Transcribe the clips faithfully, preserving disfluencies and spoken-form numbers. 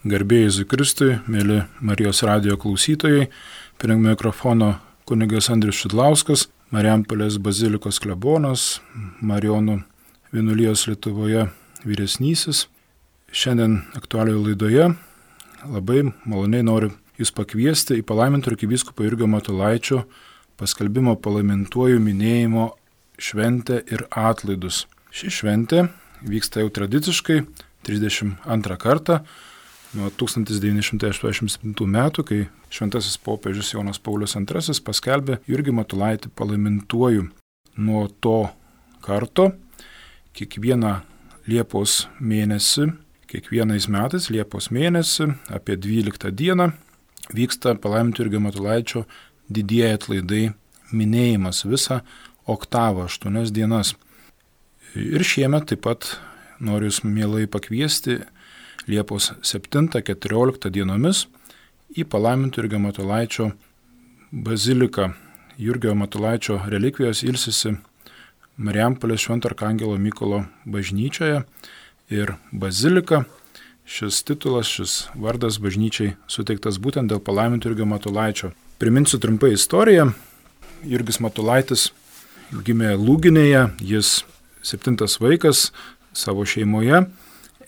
Garbėjai Jėzui Kristui, mėly Marijos radijo klausytojai, prie mikrofono kunigas Andrius Šidlauskas, Marijampolės bazilikos klebonas, Marijonų vienuolijos Lietuvoje vyresnysis. Šiandien aktualioje laidoje labai maloniai noriu Jūs pakviesti į palaiminto arkivyskupo Jurgio Matulaičio paskelbimo palaimintuoju minėjimo šventę ir atlaidus. Ši šventė vyksta jau tradiciškai trisdešimt antrą kartą nuo tūkstantis devyni šimtai aštuoniasdešimt septintų metų, kai šventasis popiežius Jonas Paulius antrasis paskelbė Jurgį Matulaitį palaimintuoju. Nuo to karto kiekvieną Liepos mėnesį, kiekvienais metais Liepos mėnesį apie dvyliktą dieną vyksta palaiminto Jurgio Matulaičio didieji atlaidai minėjimas visą oktavą, aštuonias dienas. Ir šiemet taip pat noriu Jūs mielai pakviesti Liepos septintą keturioliktą dienomis į palaiminto Jurgio Matulaičio baziliką. Jurgio Matulaičio relikvijos ilsisi Marijampolės Švento Arkangelo Mykolo bažnyčioje ir bazilika. Šis titulas, šis vardas bažnyčiai suteiktas būtent dėl palaiminto Jurgio Matulaičio. Priminsiu trumpai istoriją. Jurgis Matulaitis gimė Lūginėje, jis septintas vaikas savo šeimoje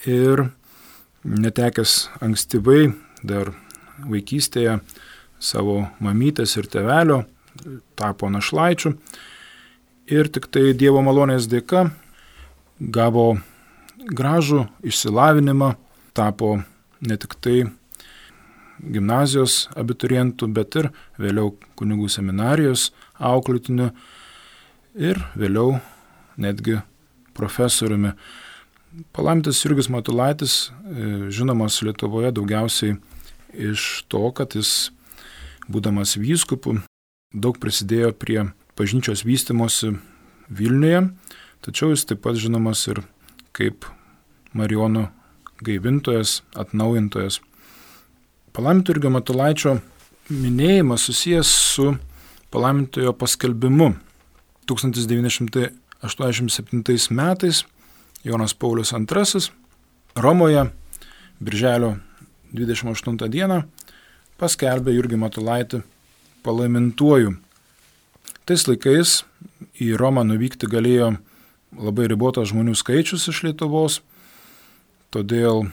ir netekęs ankstyvai dar vaikystėje savo mamytės ir tėvelio tapo našlaičiu ir tik tai Dievo malonės dėka gavo gražų išsilavinimą, tapo ne tik tai gimnazijos abiturientų, bet ir vėliau kunigų seminarijos auklėtiniu ir vėliau netgi profesoriumi. Palaimintas Jurgis Matulaitis žinomas Lietuvoje daugiausiai iš to, kad jis, būdamas vyskupu, daug prisidėjo prie bažnyčios vystymosi Vilniuje, tačiau jis taip pat žinomas ir kaip Marijonų gaivintojas, atnaujintojas. Palaiminto Jurgio Matulaičio minėjimas susijęs su palaimintojo paskelbimu. tūkstantis devyni šimtai aštuoniasdešimt septintais metais Jonas Paulius antrasis Romoje birželio dvidešimt aštuntą dieną paskelbė Jurgį Matulaitį palaimintuoju. Tais laikais į Romą nuvykti galėjo labai ribotas žmonių skaičius iš Lietuvos, todėl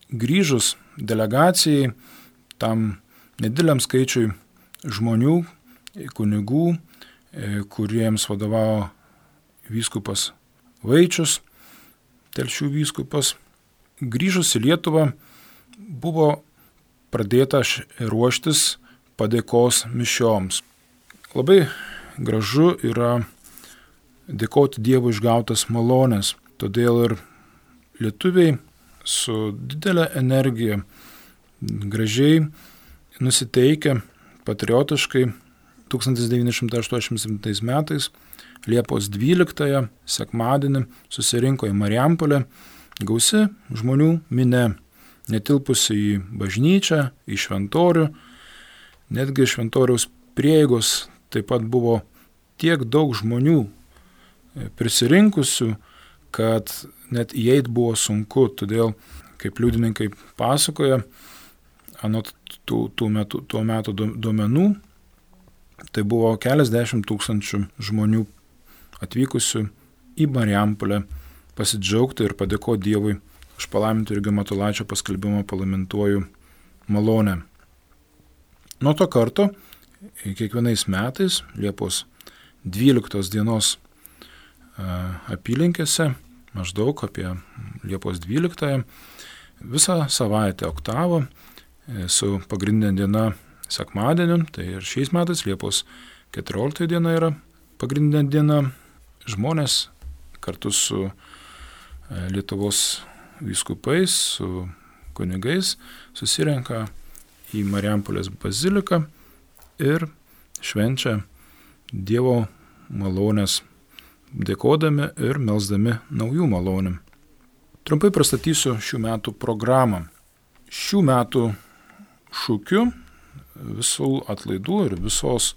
grįžus delegacijai tam nedideliam skaičiui žmonių, kunigų, kuriems vadovavo vyskupas Vaičius, Telšių vyskupas, grįžus į Lietuvą buvo pradėta ruoštis padėkos mišioms. Labai gražu yra dėkoti Dievui išgautas malonės, todėl ir lietuviai su didelė energija, gražiai nusiteikę, patriotiškai tūkstantis devyni šimtai aštuoniasdešimt septintais metais Liepos dvyliktąją sekmadienį susirinko į Marijampolę gausi žmonių minia, netilpusi į bažnyčią, į šventorių, netgi šventoriaus prieigos taip pat buvo tiek daug žmonių prisirinkusių, kad net įeit buvo sunku, todėl, kaip liudininkai pasakoja, anot tų, tų metų, tuo metu duomenų, tai buvo keliasdešimt tūkstančių žmonių atvykusių į Marijampolę pasidžiaugti ir padėkoti Dievui už palaiminto Jurgio Matulaičio paskelbimo palaimintuoju malonę. Nuo to karto kiekvienais metais Liepos dvyliktos dienos apylinkėse, maždaug apie Liepos dvyliktąją, visą savaitę oktavą su pagrindinė diena sekmadieniu, tai ir šiais metais Liepos keturiolikta diena yra pagrindinė diena, žmonės kartu su Lietuvos vyskupais, su kunigais susirenka į Marijampolės baziliką ir švenčia Dievo malonės, dėkodami ir melsdami naujų malonių. Trumpai pristatysiu šių metų programą. Šių metų šūkiu visų atlaidų ir visos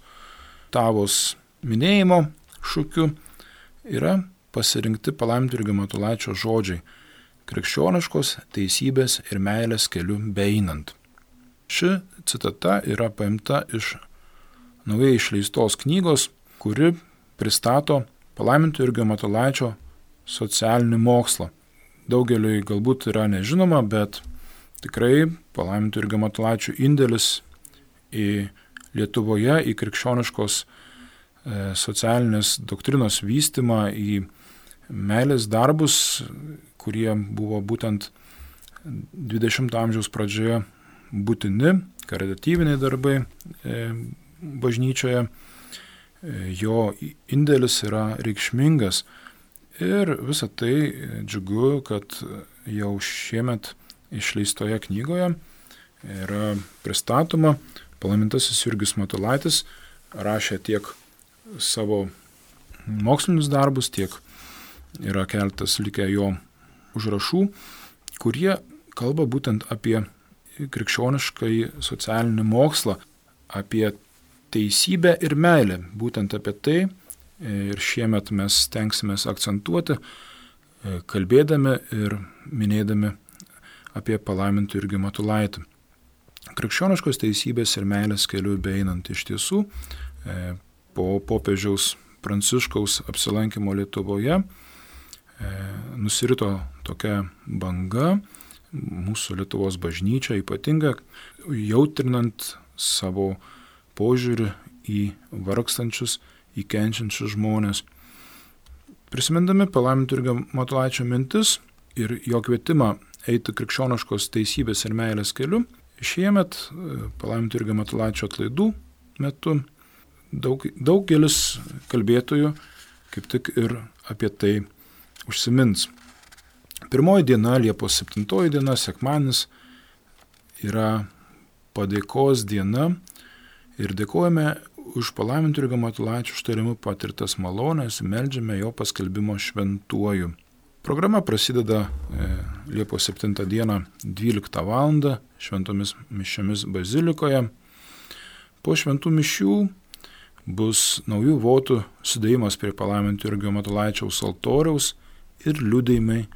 tavos minėjimo šūkiu yra pasirinkti palaiminto Jurgio Matulaičio žodžiai. krikščioniškos teisybės ir meilės keliu beeinant. Ši citata yra paimta iš naujai išleistos knygos, kuri pristato palaimintojo Jurgio Matulaičio socialinį mokslą. Daugeliui galbūt yra nežinoma, bet tikrai palaimintojo Jurgio Matulaičio indėlis į Lietuvoje, į krikščioniškos e, socialinės doktrinos vystymą, į meilės darbus, kurie buvo būtent dvidešimto amžiaus pradžioje būtini, karitatyviniai darbai e, bažnyčioje, e, jo indėlis yra reikšmingas. Ir visą tai džiugu, kad jau šiemet išleistoje knygoje yra pristatoma. Palaimintasis Jurgis Matulaitis rašė tiek savo mokslinius darbus, tiek yra keletas likę jo užrašų, kurie kalba būtent apie krikščioniškai socialinį mokslą, apie teisybę ir meilę. Būtent apie tai ir šiemet mes stengsimės akcentuoti, kalbėdami ir minėdami apie palaimintojo Jurgį Matulaitį. Krikščioniškos teisybės ir meilės keliu beeinant iš tiesų po popiežiaus Pranciškaus apsilankimo Lietuvoje nusirito tokia banga mūsų Lietuvos bažnyčia, ypatinga jautrinant savo požiūrį į vargstančius, į kenčiančius žmonės. Prisimindami palaimintojo Jurgio Matulaičio mintis ir jo kvietimą eiti krikščioniškos teisybės ir meilės keliu, šiemet palaimintojo Jurgio Matulaičio atlaidų metu daug, daugelis kalbėtojų kaip tik ir apie tai užsimins. Pirmoji diena, Liepos septintoji diena, sekmadienis, yra padėkos diena ir dėkojame už palaimintojo Jurgio Matulaičio užtarimu patirtas malones, meldžiame jo paskelbimo šventuoju. Programa prasideda Liepos septintą dieną dvyliktą valandą šventomis mišiomis bazilikoje. Po šventų mišių bus naujų votų sudėjimas prie palaimintojo Jurgio Matulaičiaus altoriaus ir liudijimai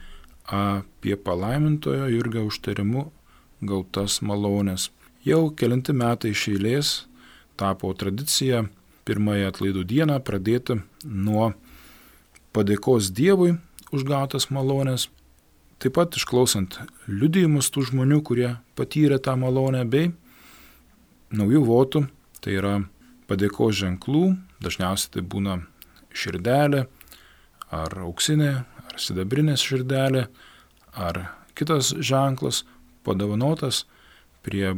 apie palaimintojo Jurgio užtarimu gautas malones. Jau kelinti metai iš eilės tapo tradicija pirmąją atlaidų dieną pradėti nuo padėkos Dievui už gautas malones, taip pat išklausant liudijimus tų žmonių, kurie patyrė tą malonę, bei naujų votų, tai yra padėkos ženklų, dažniausiai tai būna širdelė, ar auksinė, ar sidabrinės širdelė, ar kitas ženklas padovanotas prie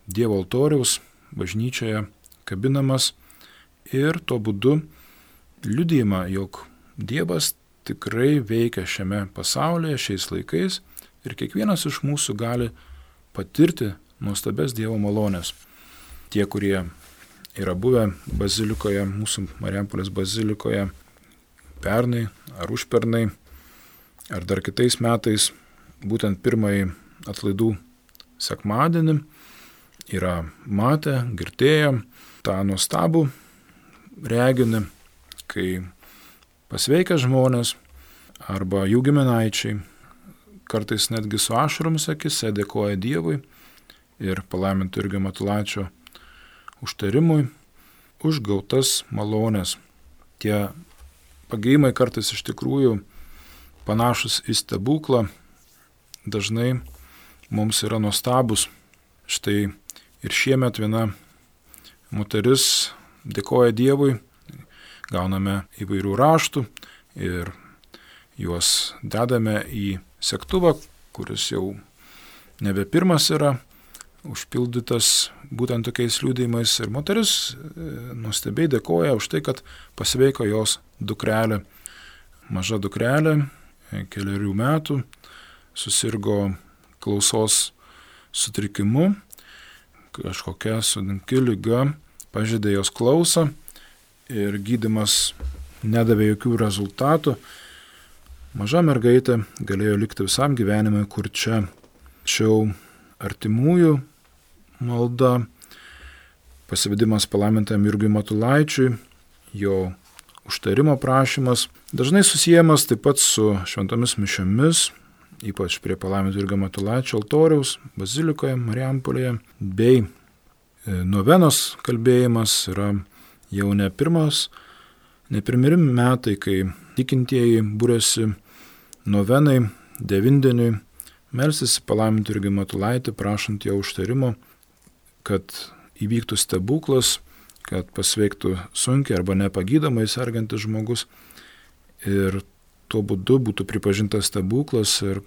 Dievo altoriaus bažnyčioje kabinamas ir tuo būdu liudijama, jog Dievas tikrai veikia šiame pasaulyje, šiais laikais ir kiekvienas iš mūsų gali patirti nuostabes Dievo malonės. Tie, kurie yra buvę bazilikoje, mūsų Marijampolės bazilikoje pernai ar užpernai, ar dar kitais metais, būtent pirmąjį atlaidų sekmadienį, yra matę, girdėję tą nuostabų reginį, kai pasveikę žmonės arba jų giminaičiai, kartais netgi su ašaromis akise dėkoja Dievui ir palaimintojo Jurgio Matulaičio užtarimui už gautas malones. Tie pagijimai kartais iš tikrųjų panašus į stebuklą, dažnai mums yra nuostabus. Štai ir šiemet viena moteris dėkoja Dievui, gauname įvairių raštų ir juos dedame į segtuvą, kuris jau nebe pirmas yra užpildytas būtent tokiais liudijimais. Ir moteris nuostabiai dėkoja už tai, kad pasveiko jos dukrelė. Maža dukrelė, keliarių metų, susirgo klausos sutrikimu, kažkokia sunki liga pažeidė jos klausą ir gydymas nedavė jokių rezultatų. Maža mergaitė galėjo likti visam gyvenimui, kur čia. Tačiau artimųjų malda, pasivedimas palaimintajam Jurgiui Matulaičiui, jo užtarimo prašymas, dažnai susiejamas taip pat su šventomis mišiomis, ypač prie palaiminto Jurgio Matulaičio altoriaus, bazilikoje Marijampolėje, bei novenos kalbėjimas yra jau ne pirmas, ne pirmi metai, kai tikintieji būrėsi novenai, devindieniui, melstis palaiminto Jurgio Matulaitį, prašant jo užtarimo, kad įvyktų stebuklas, kad pasveiktų sunkiai arba nepagydomai sergantis žmogus ir tuo būdu būtų pripažintas stebuklas ir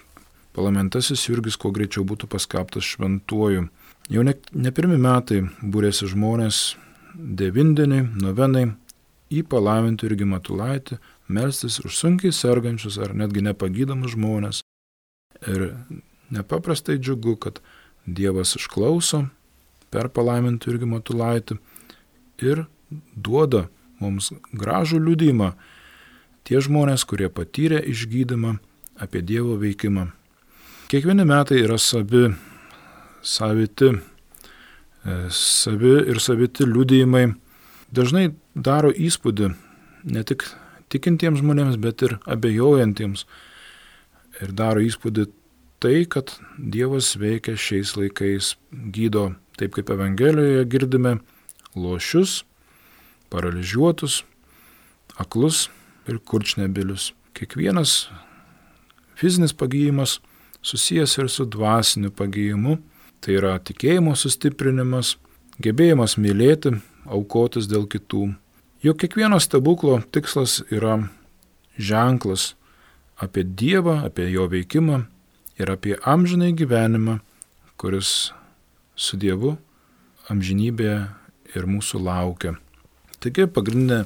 palaimintasis Jurgis kuo greičiau būtų paskelbtas šventuoju. Jau ne, ne pirmi metai būrėsi žmonės devindieniai, novenai į palaimintą Jurgį Matulaitį, melstis už sunkiai sergančius ar netgi nepagydomus žmonės. Ir nepaprastai džiugu, kad Dievas išklauso per palaimintą Jurgį Matulaitį ir duoda mums gražų liudijimą tie žmonės, kurie patyrė išgydymą apie Dievo veikimą. Kiekvieni metai yra savi, saviti, savi ir saviti liudijimai. Dažnai daro įspūdį ne tik tikintiems žmonėms, bet ir abejojantiems. Ir daro įspūdį tai, kad Dievas veikia šiais laikais, gydo, taip kaip Evangelijoje girdime, lošius, paralyžiuotus, aklus ir kurčnebilius. Kiekvienas fizinis pagyjimas susijęs ir su dvasiniu pagyjimu, tai yra tikėjimo sustiprinimas, gebėjimas mylėti, aukotis dėl kitų. Juk kiekvieno stebuklo tikslas yra ženklas apie Dievą, apie jo veikimą ir apie amžinąjį gyvenimą, kuris su Dievu amžinybėje ir mūsų laukia. Taigi pagrindinė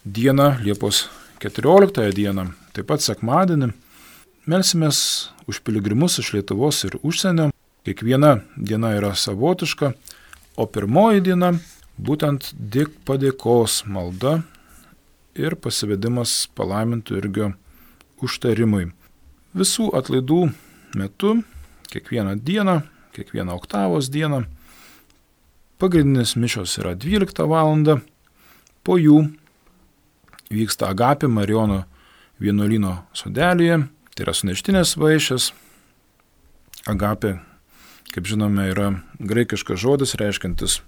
diena, Liepos keturioliktąją dieną, taip pat sekmadienį, melsimės už piligrimus iš Lietuvos ir užsienio. Kiekviena diena yra savotiška, o pirmoji diena būtent dėk padėkos malda ir pasivedimas palaiminto Jurgio užtarimui. Visų atlaidų metu, kiekvieną dieną, kiekvieną oktavos dieną, pagrindinės mišios yra dvyliktą valandą, po jų vyksta Agapė Marijono vienuolyno sodelėje, tai yra suneštinės vaišės. Agapė, kaip žinome, yra graikiškas žodis reiškiantis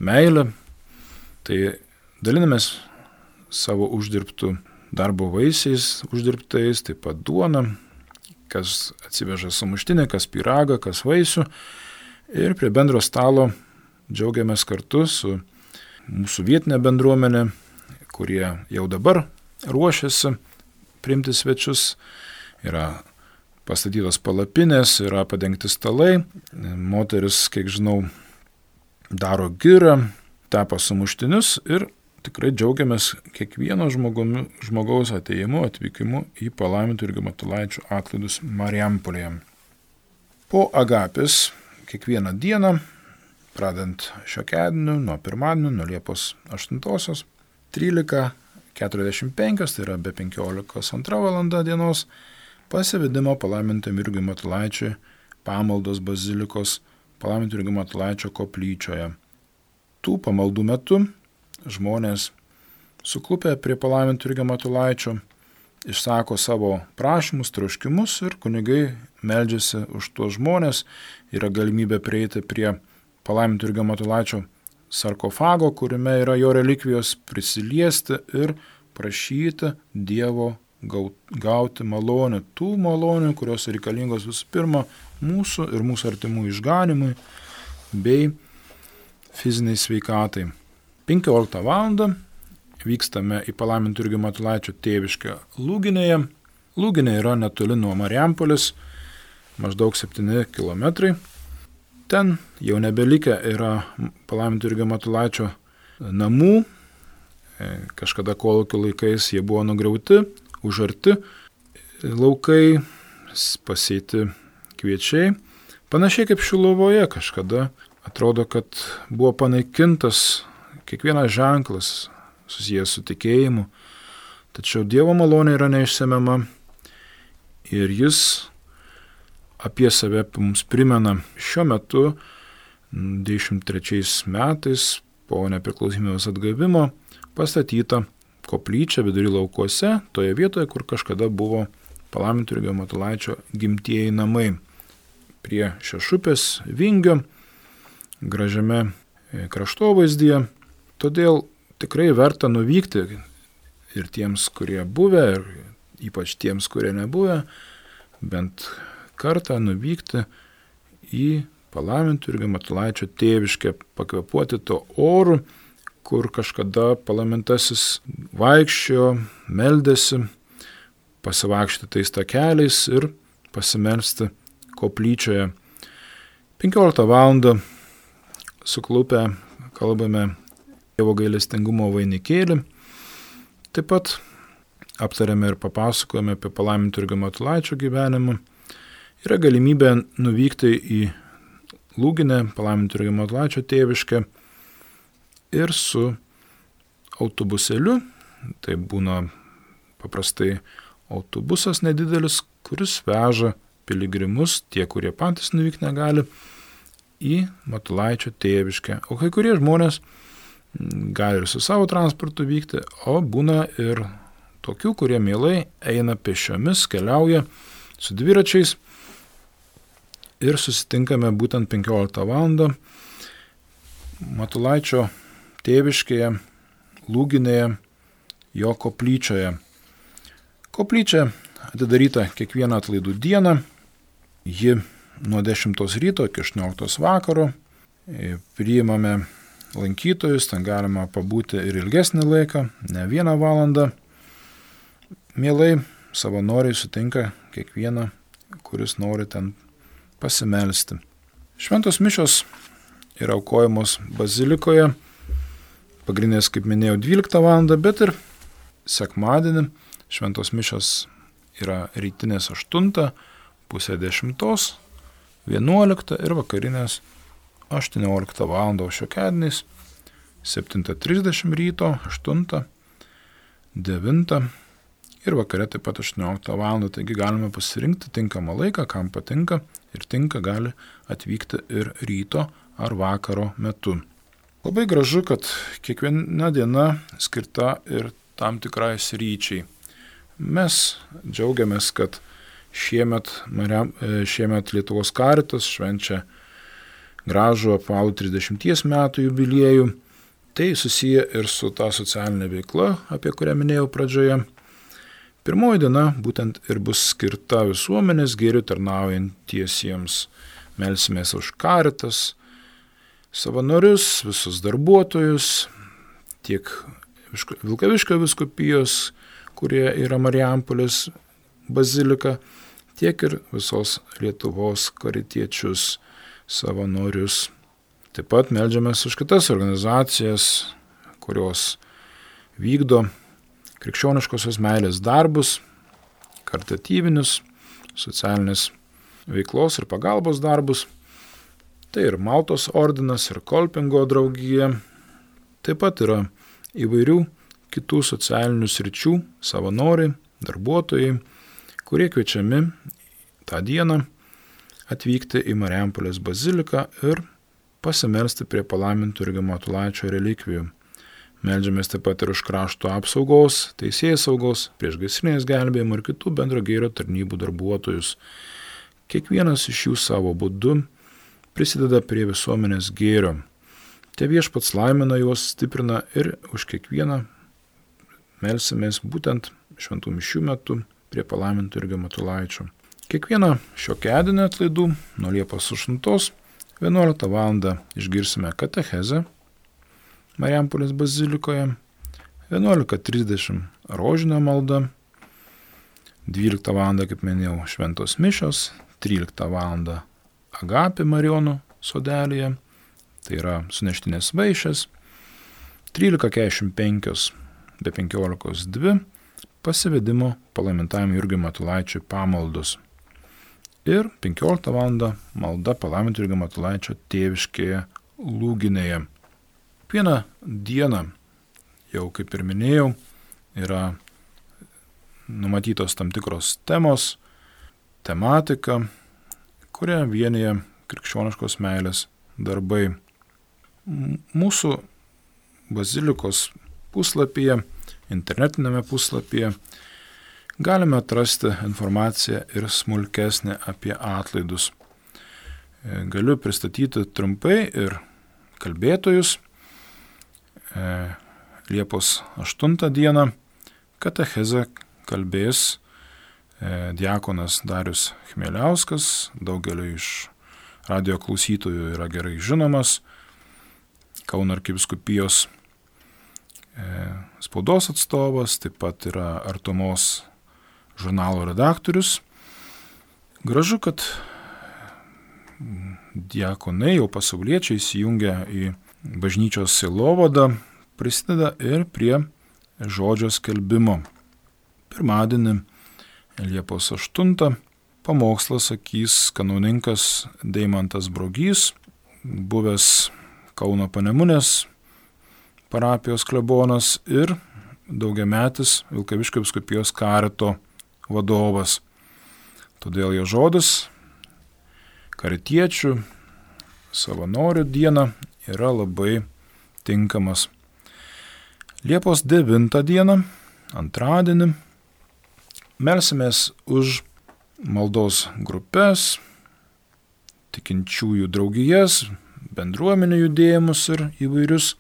meilę, tai dalinamės savo uždirbtų darbo vaisiais, uždirbtais, taip pat duona, kas atsiveža sumuštinę, kas pyragą, kas vaisių, ir prie bendro stalo džiaugiamės kartu su mūsų vietinė bendruomenė, kurie jau dabar ruošiasi priimti svečius. Yra pastatytos palapinės, yra padengti stalai, moteris, kiek žinau, daro girą, tepa sumuštinius ir tikrai džiaugiamės kiekvieno žmogumi, žmogaus atėjimu, atvykimu į palaiminto Jurgio Matulaičio atlaidus Marijampolėje. Po Agapės kiekvieną dieną, pradant šiokiadieniu, nuo pirmadienio, nuo Liepos aštuntosios, trylika keturiasdešimt penkios, tai yra be penkiolikos antra valanda dienos, pasivedimo palaimintam Jurgiui Matulaičiui pamaldos bazilikos palaiminto Jurgio Matulaičio koplyčioje. Tų pamaldų metu žmonės suklupę prie palaiminto Jurgio Matulaičio išsako savo prašymus, troškimus ir kunigai meldžiasi už tuos žmonės. Yra galimybė prieiti prie palaiminto Jurgio Matulaičio sarkofago, kuriame yra jo relikvijos, prisiliesti ir prašyti Dievo gauti malonę, tų malonių, kurios reikalingos visų pirma mūsų ir mūsų artimų išganimui bei fiziniai sveikatai. penkioliktą valandą vykstame į palaiminto Jurgio Matulaičio tėviškę Lūginėje. Lūginė yra netoli nuo Marijampolės, maždaug septyni kilometrai. Ten jau nebelikę yra palaiminto Jurgio Matulaičio namų. Kažkada kolūkio laikais jie buvo nugriauti, užarti laukai, pasėti kviečiai. Panašiai kaip Šiluvoje kažkada atrodo, kad buvo panaikintas kiekvienas ženklas susijęs su tikėjimu, tačiau Dievo malonė yra neišsemiama ir jis apie save mums primena. Šiuo metu, devyniasdešimt trečiais metais, po nepriklausomybės atgavimo, pastatyta koplyčia vidury laukuose, toje vietoje, kur kažkada buvo palaiminto Jurgio Matulaičio gimtieji namai prie Šešupės Vingio, gražiame kraštovaizdyje. Todėl tikrai verta nuvykti ir tiems, kurie buvę, ir ypač tiems, kurie nebuvę, bent kartą nuvykti į palaiminto Jurgio Matulaičio tėviškę, pakvėpuoti to oru, kur kažkada palaimintasis vaikščiojo, meldėsi, pasivaikščioti tais takeliais ir pasimelsti koplyčioje. penkioliktą valandą suklupę kalbame Dievo gailestingumo vainikėlį. Taip pat aptarėme ir papasakojame apie palaiminto Jurgio Matulaičio gyvenimą. Yra galimybė nuvykti į Lūginę, palaiminto Jurgio Matulaičio tėviškę ir su autobusėliu, tai būna paprastai autobusas nedidelis, kuris veža piligrimus, tie, kurie patys nuvykti negali, į Matulaičio tėviškę. O kai kurie žmonės gali ir su savo transportu vykti, o būna ir tokių, kurie mielai eina pėsčiomis, keliauja su dviračiais ir susitinkame būtent penkioliktą valandą Matulaičio tėviškėje, Lūginėje, jo koplyčioje. Koplyčia atidaryta kiekvieną atlaidų dieną, ji nuo dešimtos ryto iki aštuonioliktos vakaro, priimame lankytojus, ten galima pabūti ir ilgesnį laiką, ne vieną valandą. Mielai savanoriai sutinka kiekvieną, kuris nori ten pasimelsti. Šventos mišios yra aukojamos bazilikoje, pagrindinės, kaip minėjau, dvyliktą valandą, bet ir sekmadienį šventos mišios yra rytinės aštuntą, pusė dešimtos, vienuoliktą ir vakarinės aštuonioliktą valandą, o šiokiadieniais septintą trisdešimt ryto, aštuntą, devintą ir vakare taip pat aštuonioliktą valandą. Taigi galime pasirinkti tinkamą laiką, kam patinka ir tinka gali atvykti ir ryto ar vakaro metu. Labai gražu, kad kiekviena diena skirta ir tam tikrai sryčiai. Mes džiaugiamės, kad šiemet, šiemet Lietuvos Karitas švenčia gražų apvalų trisdešimties metų jubiliejų. Tai susiję ir su ta socialinė veikla, apie kurią minėjau pradžioje. Pirmoji diena būtent ir bus skirta visuomenės gėrių tarnaujantiesiems. Melsimės už Karitas, savanorius, visus darbuotojus, tiek Vilkaviškio vyskupijos, kurie yra Marijampolės bazilika, tiek ir visos Lietuvos karitiečius, savanorius. Taip pat meldžiamės už kitas organizacijas, kurios vykdo krikščioniškosios meilės darbus, karitatyvinius, socialinės veiklos ir pagalbos darbus. Tai ir Maltos ordinas, ir Kolpingo draugija. Taip pat yra įvairių kitų socialinių sričių savanoriai, darbuotojai, kurie kviečiami tą dieną atvykti į Marijampolės baziliką ir pasimelsti prie palaiminto Jurgio Matulaičio relikvijų. Meldžiamės taip pat ir už krašto apsaugos, teisėsaugos, priešgaisrinės gelbėjimo ir kitų bendro gėrio tarnybų darbuotojus. Kiekvienas iš jų savo būdu prisideda prie visuomenės gėrio. Te viešpats laimina juos, stiprina ir už kiekvieną melsimės būtent šventų mišių metu prie palaiminto Jurgio Matulaičio. Kiekvieną šiokiadienį atlaidų nuo Liepos aštuntos vienuoliktą valandą išgirsime katechezę Marijampolės bazilikoje, vienuolika trisdešimt rožinio malda, dvyliktą valandą, kaip minėjau, šventos mišios, tryliktą valandą Agapė Marijonų sodelėje, tai yra suneštinės vaišės, trylika keturiasdešimt penkios be penkiolikos dvi pasivedimo palaimintajam Jurgiui Matulaičiui pamaldos. Ir penkioliktą valandą malda palaiminto Jurgio Matulaičio tėviškėje Lūginėje. Vieną dieną, jau kaip ir minėjau, yra numatytos tam tikros temos, tematika, kurią vienyje krikščioniškos meilės darbai. Mūsų bazilikos puslapyje, internetinėme puslapyje galime atrasti informaciją ir smulkesnę apie atlaidus. Galiu pristatyti trumpai ir kalbėtojus. Liepos aštuntą dieną katechezę kalbės diakonas Darius Chmieliauskas, daugeliu iš radijo klausytojų yra gerai žinomas, Kauno arkivyskupijos spaudos atstovas, taip pat yra Artumos žurnalo redaktorius. Gražu, kad diakonai, jau pasauliečiai įsijungia į bažnyčios sielovadą, prisideda ir prie žodžio skelbimo. Pirmadienį, Liepos aštuntą, pamokslą sakys kanauninkas Deimantas Brogys, buvęs Kauno Panemunės parapijos klebonas ir daugiametis Vilkaviškio vyskupijos karito vadovas. Todėl jo žodis karitiečių savanorių dieną yra labai tinkamas. Liepos devintą dieną, antradienį, melsimės už maldos grupės, tikinčiųjų draugijas, bendruomenių judėjimus ir įvairius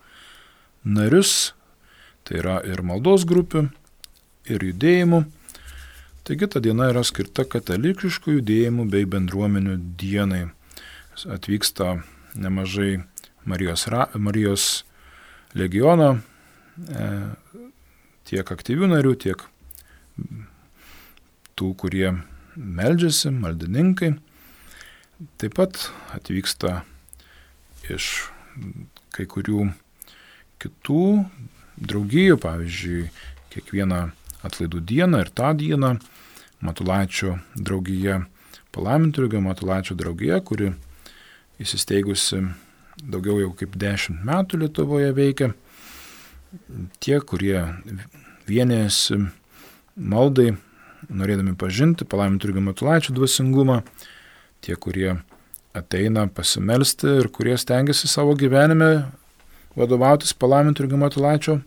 narius, tai yra ir maldos grupių, ir judėjimų. Taigi ta diena yra skirta katalikiškų judėjimų bei bendruomenių dienai. Atvyksta nemažai Marijos, Marijos legiono, tiek aktyvių narių, tiek tų, kurie meldžiasi, maldininkai. Taip pat atvyksta iš kai kurių kitų draugijų, pavyzdžiui, kiekvieną atlaidų dieną ir tą dieną Matulaičio draugija, Palaiminto Jurgio Matulaičio draugija, kuri įsisteigusi daugiau jau kaip dešimt metų Lietuvoje veikia. Tie, kurie vienijasi maldai, norėdami pažinti Palaiminto Jurgio Matulaičio dvasingumą, tie, kurie ateina pasimelsti ir kurie stengiasi savo gyvenime vadovautis Palaiminto Jurgio Matulaičio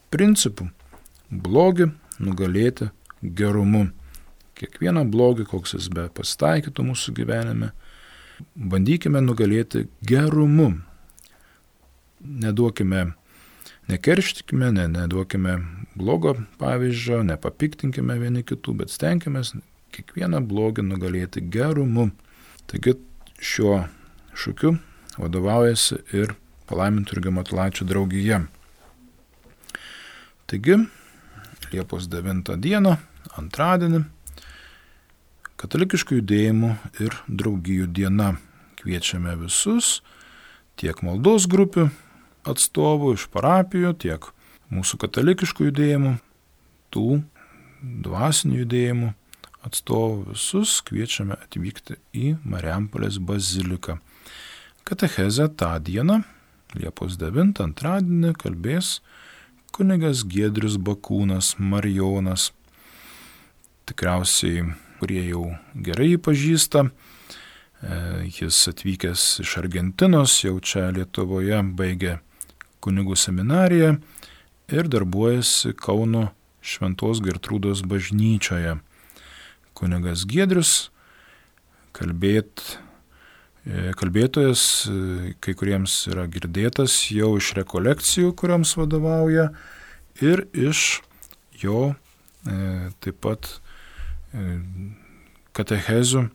principu – blogį nugalėti gerumu. Kiekvieną blogį, koks jis be pasitaikytų mūsų gyvenime, bandykime nugalėti gerumu. Neduokime, nekerštikime, ne, neduokime blogo pavyzdžio, nepapiktinkime vieni kitų, bet stenkime kiekvieną blogį nugalėti gerumu. Taigi šiuo šūkiu vadovaujasi ir Palaiminto Jurgio Matulaičio draugija. Taigi, Liepos devintą dieną, antradienį, katalikiškų judėjimų ir draugijų diena. Kviečiame visus, tiek maldos grupių atstovų iš parapijų, tiek mūsų katalikiškų judėjimų, tų dvasinių judėjimų atstovų, visus kviečiame atvykti į Marijampolės baziliką. Katechezę tą dieną, Liepos devintą, antradienį, kalbės kunigas Giedrius Bakūnas, Marijonas. Tikriausiai, kurie jau gerai jį pažįsta, jis atvykęs iš Argentinos, jau čia Lietuvoje baigė kunigų seminariją ir darbuojasi Kauno Šventos Gertrūdos bažnyčioje. Kunigas Giedrius, kalbėt, kalbėtojas, kai kuriems yra girdėtas jau iš rekolekcijų, kuriams vadovauja, ir iš jo e, taip pat e, katechezių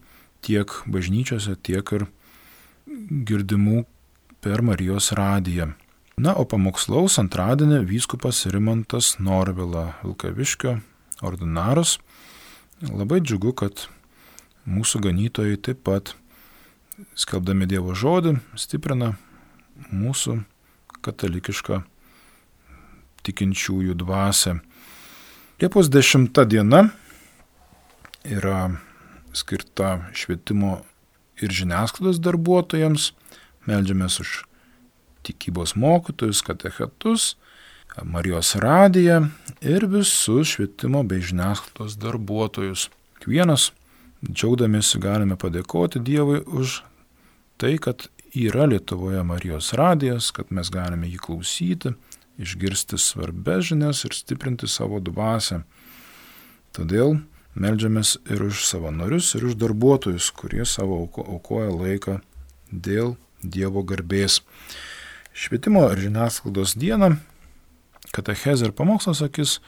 tiek bažnyčiose, tiek ir girdimų per Marijos radiją. Na, o pamokslaus antradienį vyskupas Rimantas Norvila, Vilkaviškio ordinaras. Labai džiugu, kad mūsų ganytojai taip pat, skelbdami Dievo žodį, stiprina mūsų katalikišką tikinčiųjų dvasią. Liepos dešimta diena yra skirta švietimo ir žiniasklaidos darbuotojams. Meldžiamės už tikybos mokytojus, katechetus, Marijos radiją ir visus švietimo bei žiniasklaidos darbuotojus. Kiekvienas džiaugdamiesi galime padėkoti Dievui už tai, kad yra Lietuvoje Marijos radijas, kad mes galime jį klausyti, išgirsti svarbias žinias ir stiprinti savo dvasią. Todėl meldžiamės ir už savanorius, ir už darbuotojus, kurie savo aukoja laiką dėl Dievo garbės. Švietimo ir žiniasklaidos dieną katechezę ir pamokslą sakys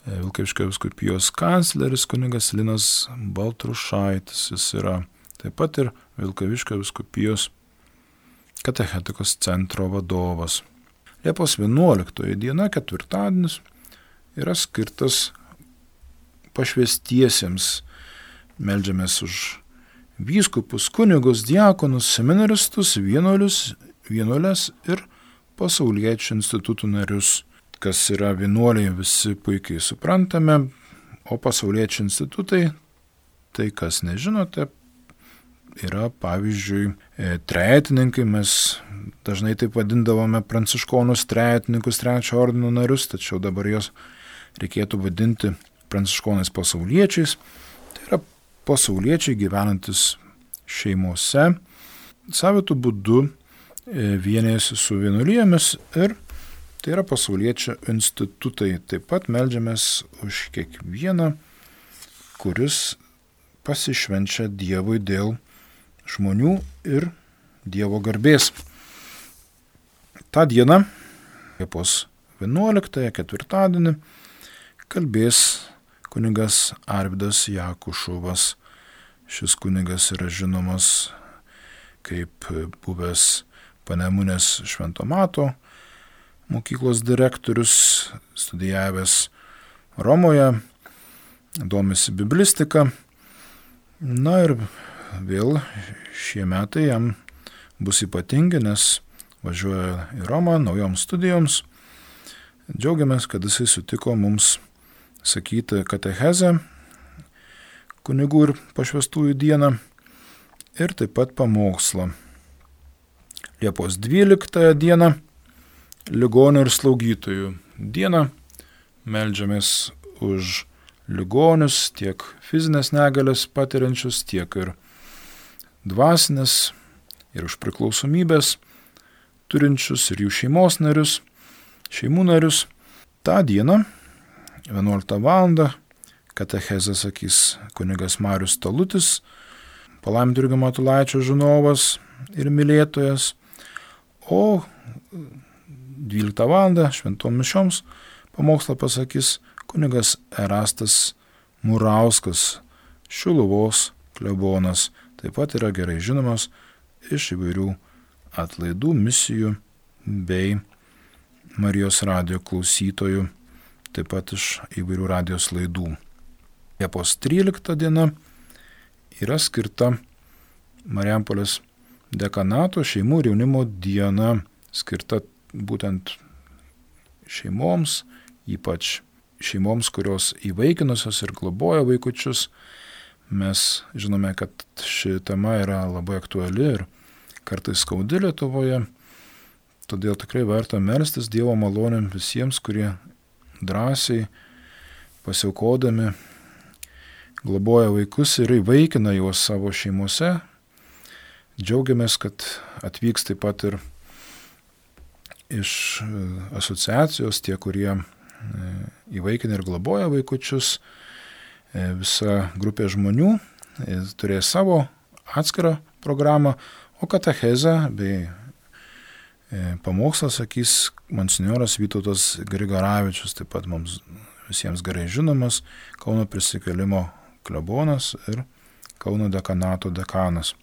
Vilkaviškio vyskupijos kancleris kunigas Linas Baltrušaitis. Jis yra taip pat ir Vilkaviškio vyskupijos katechetikos centro vadovas. Liepos vienuoliktoji diena, ketvirtadienis, yra skirtas pašvęstiesiems. Meldžiamės už vyskupus, kunigus, diakonus, seminaristus, vienuolius, vienuolės ir pasauliečių institutų narius. Kas yra vienuoliai, visi puikiai suprantame, o pasauliečių institutai, tai kas nežinote, yra pavyzdžiui trejetininkai. Mes dažnai taip vadindavome pranciškonus trejetininkus, trečio ordino narius, tačiau dabar jos reikėtų vadinti pranciškonais pasauliečiais. Tai yra pasauliečiai gyvenantis šeimose, savitų būdu vienijasi su vienuolijomis ir tai yra pasauliečių institutai. Taip pat meldžiamės už kiekvieną, kuris pasišvenčia Dievui dėl žmonių ir Dievo garbės. Ta diena, Liepos vienuoliktąją, ketvirtadienį, kalbės kunigas Arvydas Jakušovas. Šis kunigas yra žinomas kaip buvęs Panemunės Švento Mato mokyklos direktorius, studijavęs Romoje, domisi biblistika. Na ir vėl šie metai jam bus ypatingi, nes važiuoja į Romą naujoms studijoms. Džiaugiamės, kad jisai sutiko mums sakyti katechezę kunigų ir pašvęstųjų dieną ir taip pat pamokslą. Liepos dvyliktąją dieną ligonių ir slaugytojų diena. Meldžiamės už ligonius, tiek fizinės negalias patiriančius, tiek ir dvasinės, ir už priklausomybės turinčius, ir jų šeimos narius, šeimų narius. Ta diena, vienuoliktą valandą, katechezę sakys kunigas Marius Talutis, palaiminto Jurgio Matulaičio žinovas ir mylėtojas, o dvyliktą valandą šventom mišioms pamokslą pasakys kunigas Erastas Murauskas, Šiluvos klebonas. Taip pat yra gerai žinomas iš įvairių atlaidų, misijų bei Marijos radijo klausytojų, taip pat iš įvairių radijos laidų. Liepos trylikta diena yra skirta Marijampolės dekanato šeimų ir jaunimo diena, skirta būtent šeimoms, ypač šeimoms, kurios įvaikinusios ir globoja vaikučius. Mes žinome, kad ši tema yra labai aktuali ir kartais skaudi Lietuvoje, todėl tikrai verta melstis Dievo malonėm visiems, kurie drąsiai pasiaukodami globoja vaikus ir įvaikina juos savo šeimose. Džiaugiamės, kad atvyks taip pat ir iš asociacijos tie, kurie įvaikina ir globoja vaikučius. Visa grupė žmonių turės savo atskirą programą, o katechezę bei pamokslą sakys monsinjoras Vytautas Grigaravičius, taip pat mums visiems gerai žinomas Kauno prisikėlimo klebonas ir Kauno dekanato dekanas.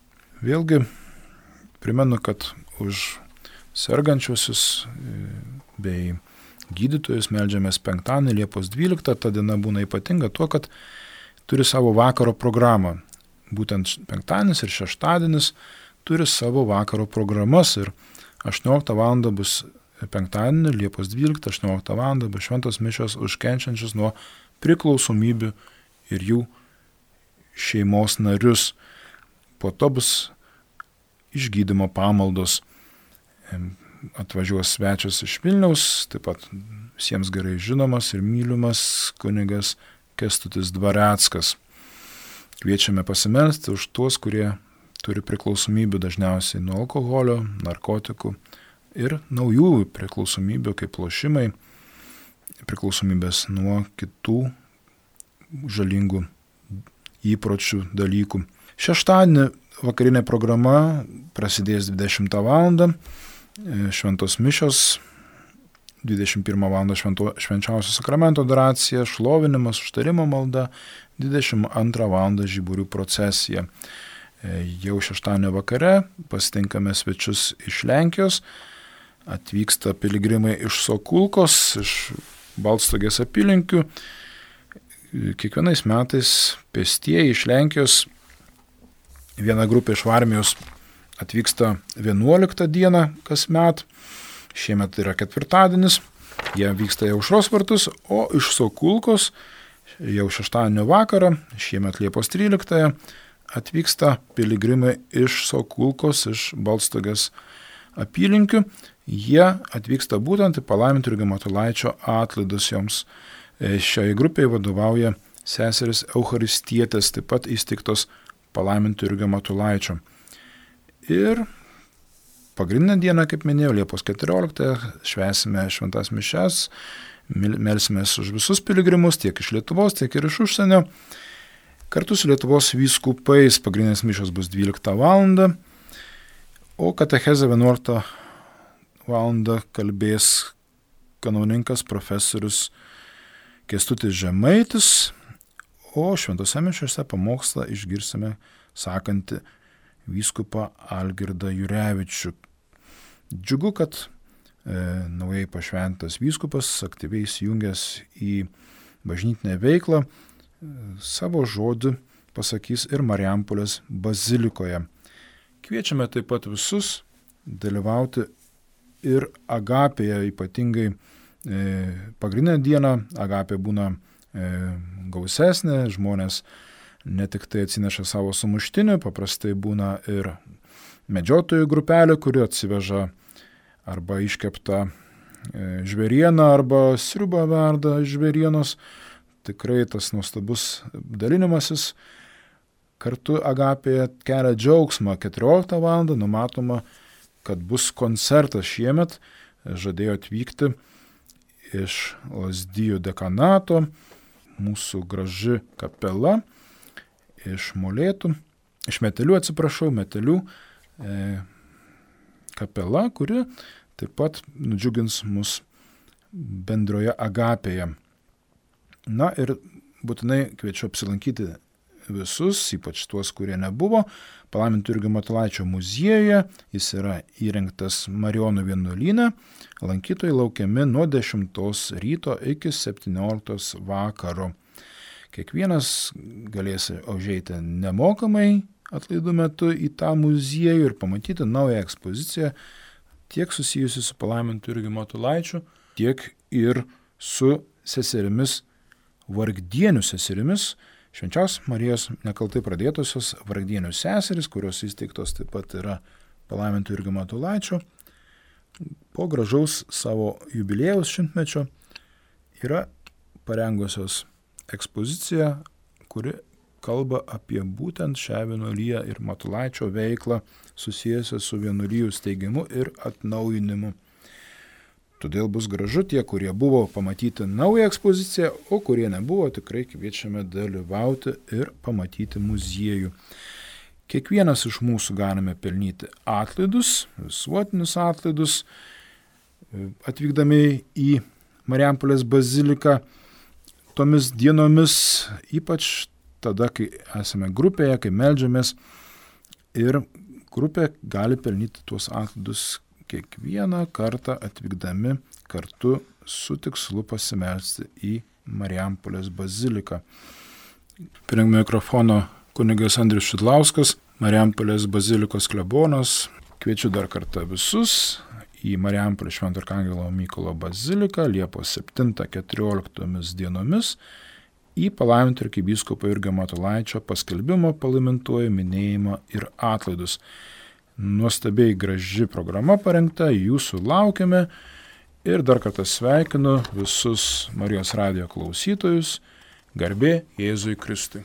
Vėlgi primenu, kad už sergančiuosius bei gydytojus meldžiamės penktadienį, Liepos dvyliktą. Ta diena būna ypatinga tuo, kad turi savo vakaro programą. Būtent penktadienis ir šeštadienis turi savo vakaro programas ir aštuonioliktą valandą bus penktadienį, Liepos dvyliktą, aštuonioliktą valandą bus šventos mišios už kenčiančius nuo priklausomybių ir jų šeimos narius. Po to bus išgydymo pamaldos. Atvažiuos svečias iš Vilniaus, taip pat visiems gerai žinomas ir mylimas kunigas Kęstutis Dvareckas. Kviečiame pasimelsti už tuos, kurie turi priklausomybių dažniausiai nuo alkoholio, narkotikų ir naujų priklausomybių kaip lošimai, priklausomybės nuo kitų žalingų įpročių dalykų. Šeštadienį vakarinė programa prasidės dvidešimtą valandą, šventos mišios, dvidešimt pirmą valandą švento, švenčiausio sakramento adoracija, šlovinimas, užtarimo malda, dvidešimt antrą valandą žiburių procesija. Jau šeštadienio vakare pasitinkame svečius iš Lenkijos, atvyksta piligrimai iš Sokulkos, iš Baltstogės apylinkių. Kiekvienais metais pėstieji iš Lenkijos, viena grupė iš Varmijos atvyksta vienuoliktą dieną kasmet, šiemet yra ketvirtadienis, jie vyksta į Aušros vartus, o iš Sokulkos jau šeštadienio vakarą, šiemet Liepos tryliktąją, atvyksta piligrimai iš Sokulkos, iš Baltstogės apylinkių. Jie atvyksta būtent į palaiminto Jurgio Matulaičio atlaidus joms. Šiai grupiai vadovauja seseris Eucharistietės, taip pat įsteigtos palaiminto Jurgio Matulaičio. Ir pagrindinę dieną, kaip minėjau, Liepos keturioliktąją švęsime šventas mišias, melsimės už visus piligrimus, tiek iš Lietuvos, tiek ir iš užsienio. Kartu su Lietuvos vyskupais pagrindinės mišios bus dvyliktą valandą, o katechezę vienuoliktą valandą kalbės kanauninkas profesorius Kęstutis Žemaitis, o šventose mišiose pamokslą išgirsime sakantį vyskupą Algirdą Jurevičių. Džiugu, kad e, naujai pašventas vyskupas aktyviai įsijungęs į bažnytinę veiklą, savo žodį pasakys ir Marijampolės bazilikoje. Kviečiame taip pat visus dalyvauti ir Agapėje, ypatingai e, pagrindinę dieną. Agapė būna e, gausesnė, žmonės ne tik tai atsineša savo sumuštinių, paprastai būna ir medžiotojų grupelė, kuri atsiveža arba iškeptą e, žvėrieną, arba sriubą verda iš žvėrienos. Tikrai tas nuostabus dalinimasis kartu Agapėje kelia džiaugsmą. keturioliktą valandą numatoma, kad bus koncertas šiemet, žadėjo atvykti iš Lazdijų dekanato, mūsų graži kapela, iš Molėtų, iš Metelių, atsiprašau, Metelių e, kapela, kuri taip pat nudžiugins mus bendroje Agapėje. Na ir būtinai kviečiu apsilankyti visus, ypač tuos, kurie nebuvo, palaiminto Jurgio Matulaičio muziejuje. Jis yra įrengtas Marijonų vienuolyne. Lankytojai laukiami nuo dešimtos ryto iki septynioliktos vakaro. Kiekvienas galės užeiti nemokamai atlaidų metu į tą muziejų ir pamatyti naują ekspoziciją, tiek susijusi su palaiminto Jurgio Matulaičiu, tiek ir su seserimis, vargdienių seserimis, Švenčiausios Marijos nekaltai pradėtosios vargdienių seseris, kurios įsteigtos taip pat yra palaiminto Jurgio Matulaičio. Po gražaus savo jubiliejaus šimtmečio yra parengusios ekspoziciją, kuri kalba apie būtent šią vienuoliją ir Matulaičio veiklą susijusią su vienuolijų steigimu ir atnaujinimu. Todėl bus gražu tie, kurie buvo pamatyti naują ekspoziciją, o kurie nebuvo, tikrai kviečiame dalyvauti ir pamatyti muziejų. Kiekvienas iš mūsų galime pelnyti atlaidus, visuotinius atlaidus, atvykdami į Marijampolės baziliką tomis dienomis, ypač tada, kai esame grupėje, kai meldžiamės, ir grupė gali pelnyti tuos atlaidus kiekvieną kartą atvykdami kartu su tikslu pasimelsti į Marijampolės baziliką. Prie mikrofono kunigas Andrius Šidlauskas, Marijampolės bazilikos klebonas. Kviečiu dar kartą visus į Marijampolės Švento Arkangelo Mykolo baziliką Liepos septintą keturioliktomis dienomis į palaiminto arkivyskupo Jurgio Matulaičio paskelbimo palaimintuoju minėjimą ir atlaidus. Nuostabiai graži programa parengta, jūsų laukiame ir dar kartą sveikinu visus Marijos radijo klausytojus. Garbė Jėzui Kristui.